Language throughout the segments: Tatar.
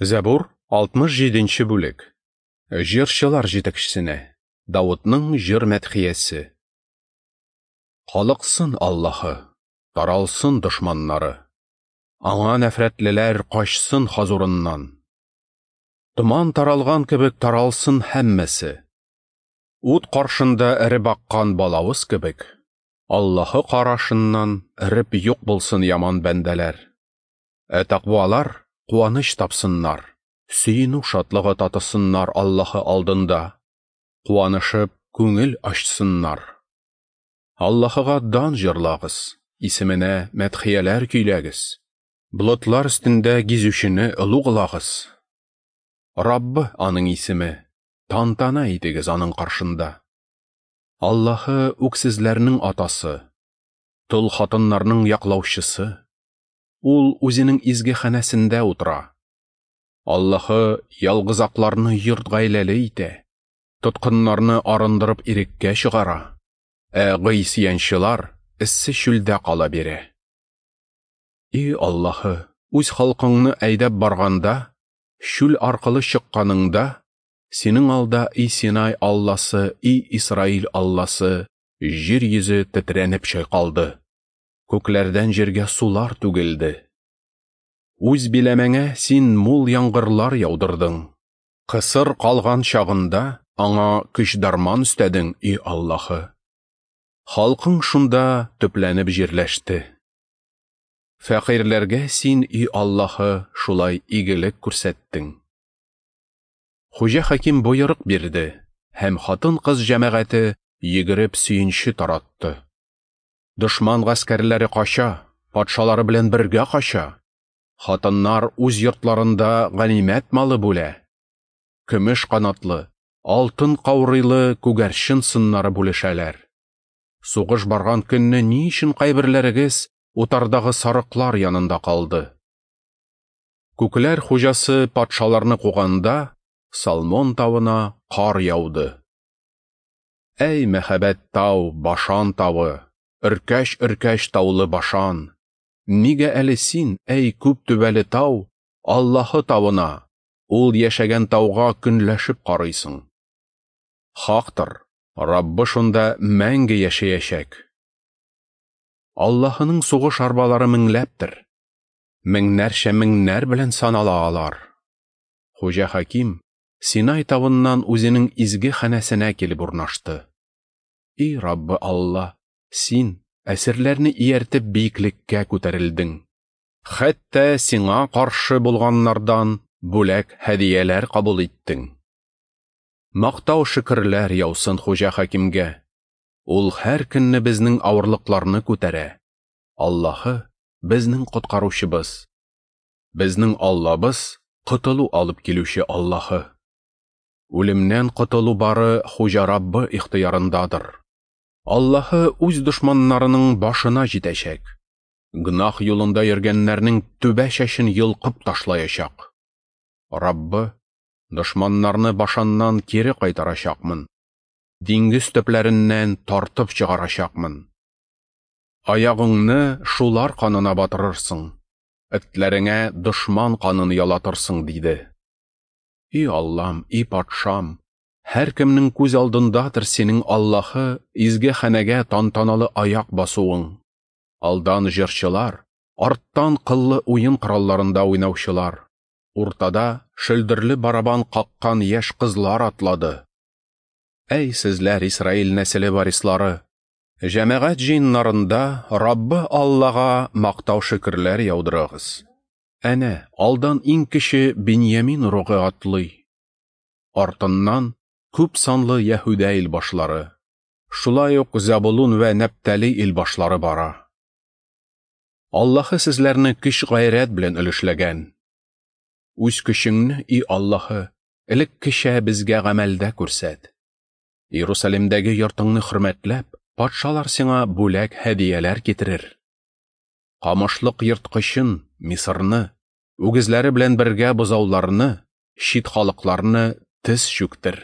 Зәбур, 67 нче бүлек. Җырчылар җитәкчесенә. Давытның җыр мәдхиясе. Калыксын Аллаһы, таралсын дошманнары. Аңа нәфрәтлеләр качсын хозурыннан. Томан таралган кебек таралсын һәммәсе. Ут каршында эреп аккан балавыз кебек, Аллаһы карашыннан эреп юк булсын яман бәндәләр. Ә тәкъвалар куаныч тапсыннар, сөенү шатлыгы татысыннар Аллаһы алдында, куанышып күңел ачсыннар. Аллаһыга дан җырлагыз, исеменә мәдхияләр көйләгез. Болытлар өстендә гизүчене олуглагыз. Раббы аның исеме, тантана итегез аның каршында. Аллаһы үксезләрнең атасы, тол хатыннарның яклаучысы. Ул үзенең изге ханәсендә утыра. Аллаһы ялгызакларны йорт гаиләле итә, тоткыннарны арындырып иреккә чыгара, ә гыйсьянчылар эссе чүлдә кала бирә. И Аллаһы, үз халкыңны әйдәп барганда, чүл аркылы чыкканыңда, синең алда и Синай Алласы, и Исраил Алласы, җир йөзе тетрәнеп чайкалды. Күкләрдән җиргә сулар түгелде. Үз биләмәңә син мул яңгырлар яудырдың. Кысыр калган чагында аңа көч-дарман өстәдең, и Аллаһы. Халкың шунда төпләнеп җирләште. Фәкыйрьләргә син, и Аллаһы, шулай игелек күрсәттең. Хуҗа хаким боерык бирде, һәм хатын-кыз җәмәгате йөгереп сөенче таратты. Дошман гаскәрләре кача, патшалары белән бергә кача. Хатыннар үз йортларында ганимәт малы бүлә. Көмеш канатлы, алтын каурыйлы күгәрчен сыннары бүлешәләр. Сугыш барган көнне ни өчен кайберләрегез утардагы сарыклар янында калды? Күкләр хуҗасы патшаларны куганда, Салмон тавына кар яуды. Әй, мәһабәт тау, Башан тавы, өркәч-өркәч таулы Башан! Нигә әле син, әй, күп түбәле тау, Аллаһы тавына, ул яшәгән тауга көнләшеп карыйсың? Хактыр, Раббы шунда мәңге яшәячәк. Аллаһының сугыш арбалары меңләптер. Меңнәрчә меңнәр белән санала алар. Хуҗа хаким Синай тавыннан үзенең изге ханәсенә килеп урнашты. И Раббы Алла, син әсирләрне ияртеп биеклеккә күтәрелдең. Хәтта сиңа каршы булганнардан бүләк һәдияләр кабул иттең. Мактау шөкерләр яусын Хуҗа хакимгә. Ул һәр көнне безнең авырлыкларны күтәрә. Аллаһы безнең коткаручыбыз. Безнең Аллабыз котылу алып килүче Аллаһы. Үлемнән котылу бары Хуҗа Раббы ихтыярындадыр. Аллаһы үз дошманнарының башына җитәчәк. Гөнаһ юлында йөргәннәрнең түбә чәчен йолкып ташлаячак. Раббы, дошманнарны башаннан кире кайтарачакмын. Диңгез төпләреннән тартып чыгарачакмын. Аягыңны шулар канына батырырсың, этләреңә дошман канын ялатырсың, диде. И Аллам, и патшам, һәркемнең күз алдындадыр синең Аллаһы изге ханәгә тантаналы аяк басуың. Алдан җырчылар, арттан кыллы уен коралларында уйнаучылар, уртада шөлдерле барабан каккан яшь кызлар атлады. Әй сезләр, Исраил нәселе варислары, җәмәгать җыеннарында Раббы Аллага мактау шөкерләр яудырыгыз. Әнә, алдан иң кече Беньямин ыругы атлый. Артыннан күп санлы Яһүдә илбашлары, шулай ук Зәбулун вә Нәптали илбашлары бара. Аллаһы сезләрне көч-гайрәт белән өлешләгән. Үз көчеңне, и Аллаһы, элеккечә безгә гамәлдә күрсәт. Иерусалимдәге йортыңны хөрмәтләп, патшалар сиңа бүләк һәдияләр китерер. Камышлык ерткычын, Мисырны, үгезләре белән бергә бозауларны, чит халыкларны тез чүктер.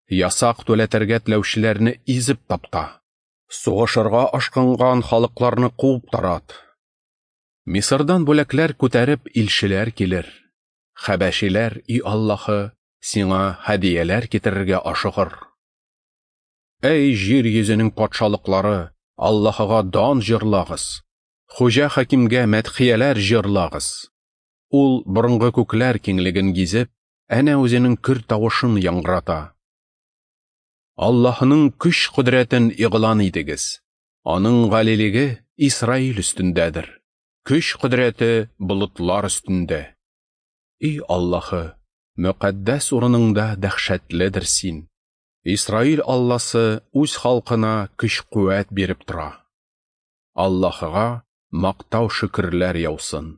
Ясак түләтергә теләүчеләрне изеп тапта. Сугышырга ашкынган халыкларны куып тарат. Мисырдан бүләкләр күтәреп илчеләр килер. Хәбәшиләр, и Аллаһы, сиңа һәдияләр китерергә ашыгыр. Әй, җир йөзенең патшалыклары, Аллаһыга дан җырлагыз! Хуҗа хакимгә мәдхияләр җырлагыз! Ул борынгы күкләр киңлеген гизеп, әнә үзенең көр тавышын яңгырата. Аллаһының көч-кодрәтен игълан итегез. Аның галилеге Исраил өстендәдер. Көч-кодрәте болытлар өстендә. И Аллаһы, мөкатдәс урыныңда дәһшәтледер син. Исраил Алласы үз халкына көч-куәт биреп тора. Аллаһыга мактау-шөкерләр яусын.